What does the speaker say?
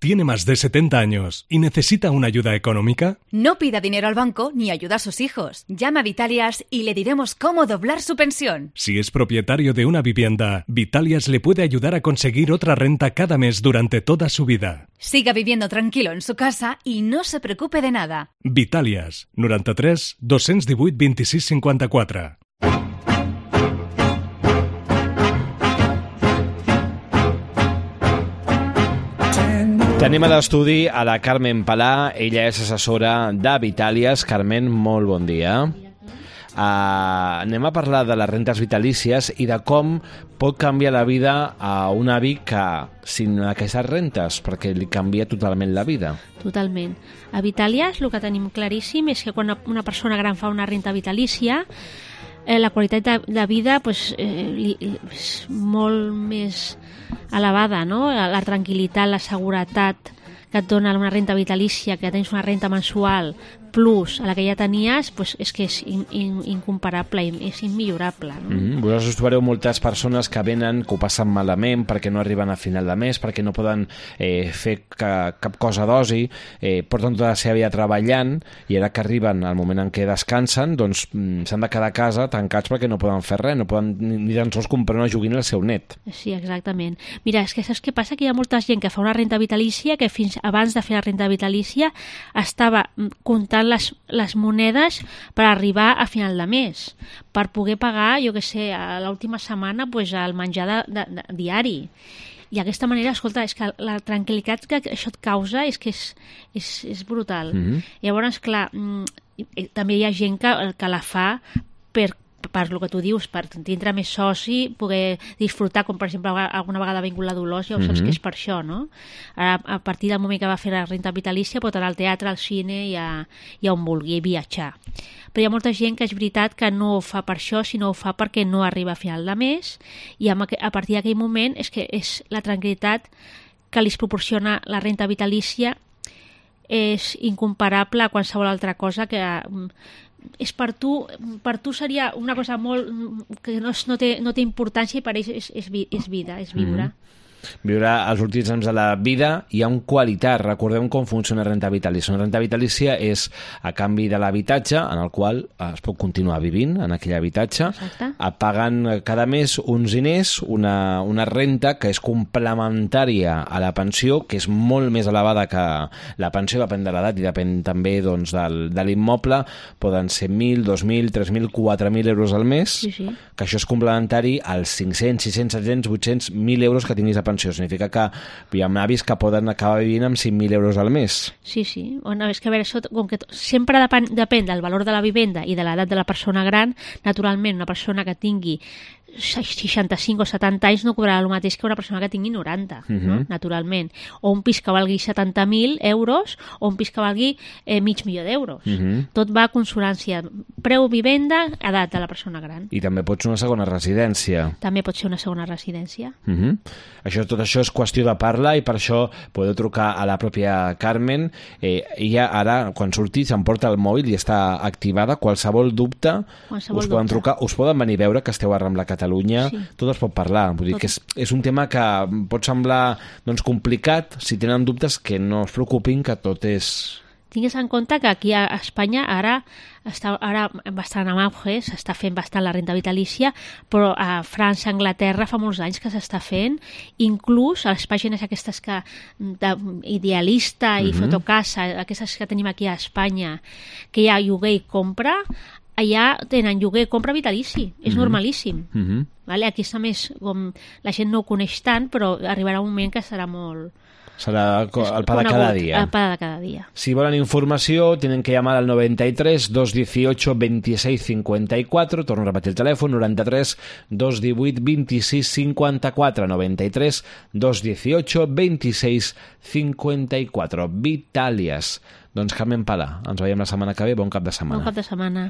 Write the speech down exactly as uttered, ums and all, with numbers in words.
¿Tiene más de setenta años y necesita una ayuda económica? No pida dinero al banco ni ayuda a sus hijos. Llama a Vitalias y le diremos cómo doblar su pensión. Si es propietario de una vivienda, Vitalias le puede ayudar a conseguir otra renta cada mes durante toda su vida. Siga viviendo tranquilo en su casa y no se preocupe de nada. Vitalias, noranta-tres dos-cents divuit vint-i-sis cinquanta-quatre. Tenim a l'estudi a la Carmen Palà, ella és assessora de Vitalias. Carmen, molt bon dia. Uh, anem a parlar de les rentes vitalícies i de com pot canviar la vida a un avi que, sin aquestes rentes, perquè li canvia totalment la vida. Totalment. A Vitalias el que tenim claríssim és que quan una persona gran fa una renta vitalícia, eh, la qualitat de, de vida pues, eh, li, és molt més elevada, no? La tranquil·litat, la seguretat que et dona una renta vitalícia, que tens una renta mensual plus a la que ja tenies, pues és que és in, in, incomparable, és immillorable. No? Mm-hmm. Vosaltres trobareu moltes persones que venen, que ho passen malament perquè no arriben a final de mes, perquè no poden eh, fer ca, cap cosa d'oci, eh, porten tota la seva vida treballant i ara que arriben al moment en què descansen, doncs s'han de quedar a casa tancats perquè no poden fer res, no poden ni, ni tan sols comprar una joguina al seu net. Sí, exactament. Mira, és que saps què passa? Que hi ha molta gent que fa una renta vitalícia que fins abans de fer la renta vitalícia estava comptant les, les monedes per arribar a final de mes, per poder pagar, jo què sé, a l'última setmana pues, el menjar de, de, de, diari. I d'aquesta manera, escolta, és que la tranquil·litat que això et causa és que és, és, és brutal. Mm-hmm. Llavors, clar, també hi ha gent que, que la fa per per el que tu dius, per tindre més soci, poder disfrutar, com per exemple alguna vegada ha vingut la Dolors, ja ho saps mm-hmm. que és per això, no? Ara, a partir del moment que va fer la renta vitalícia pot anar al teatre, al cine i a, i a on vulgui, viatjar. Però hi ha molta gent que és veritat que no ho fa per això, sinó ho fa perquè no arriba a final de mes i a, a partir d'aquell moment és que és la tranquil·litat que li proporciona la renta vitalícia és incomparable a qualsevol altra cosa que és per tu, per tu seria una cosa molt que no, no, té, no té importància i per ells és, és, és vida, és viure. Mm-hmm. Viure els últims anys de la vida i amb qualitat. Recordem com funciona la renta vitalícia. Una renta vitalícia és a canvi de l'habitatge en el qual es pot continuar vivint en aquell habitatge. Exacte. Paguen cada mes uns diners, una, una renta que és complementària a la pensió, que és molt més elevada que la pensió, depèn de l'edat i depèn també doncs, del, de l'immoble. Poden ser mil, dos mil, tres mil, quatre mil euros al mes, sí, sí. Que això és complementari als cinc-cents, sis-cents, set-cents, vuit-cents, mil euros que tinguis a pensió. Significa que hi ha avis que poden acabar vivint amb cinc mil euros al mes. Sí, sí. Bueno, és que a veure, això, com que sempre depèn, depèn del valor de la vivenda i de l'edat de la persona gran. Naturalment, una persona que tingui seixanta-cinc o setanta anys no cobrarà el mateix que una persona que tingui noranta, uh-huh. no? Naturalment. O un pis que valgui setanta mil euros o un pis que valgui eh, mig milió d'euros. Uh-huh. Tot va a consonància. Preu, vivenda, edat de la persona gran. I també pot ser una segona residència. També pot ser una segona residència. Uh-huh. Això, tot això és qüestió de parlar i per això podeu trucar a la pròpia Carmen. Eh, ella ara, quan surti, s'emporta el mòbil i està activada. Qualsevol dubte, qualsevol us poden dubte. trucar, us poden venir a veure que esteu a Rambla Catalunya. Catalunya, sí. Tot es pot parlar. Vull dir que és, és un tema que pot semblar doncs, complicat. Si tenen dubtes, que no es preocupin, que tot és... Tingues en compte que aquí a Espanya ara està ara bastant en auge, s'està fent bastant la renta vitalícia, però a França, Anglaterra fa molts anys que s'està fent, inclús a les pàgines aquestes que d'Idealista i mm-hmm. Fotocasa, aquestes que tenim aquí a Espanya, que hi ha lloguer i compra, allà tenen lloguer, compra vitalici, és mm-hmm. normalíssim. Mm-hmm. Vale? Aquí està més, com la gent no ho coneix tant, però arribarà un moment que serà molt... Serà el pa de cada dia. El pa de cada dia. Si volen informació, tenen que llamar al noventa-tres dos dieciocho veintiséis cincuenta y cuatro. Torno a repetir el telèfon, noranta-tres dos divuit vint-i-sis cinquanta-quatre. noventa-tres dos dieciocho veintiséis cincuenta y cuatro. Vitalias. Doncs Carmen Palà, ens veiem la setmana que ve. Bon cap de setmana. Bon cap de setmana.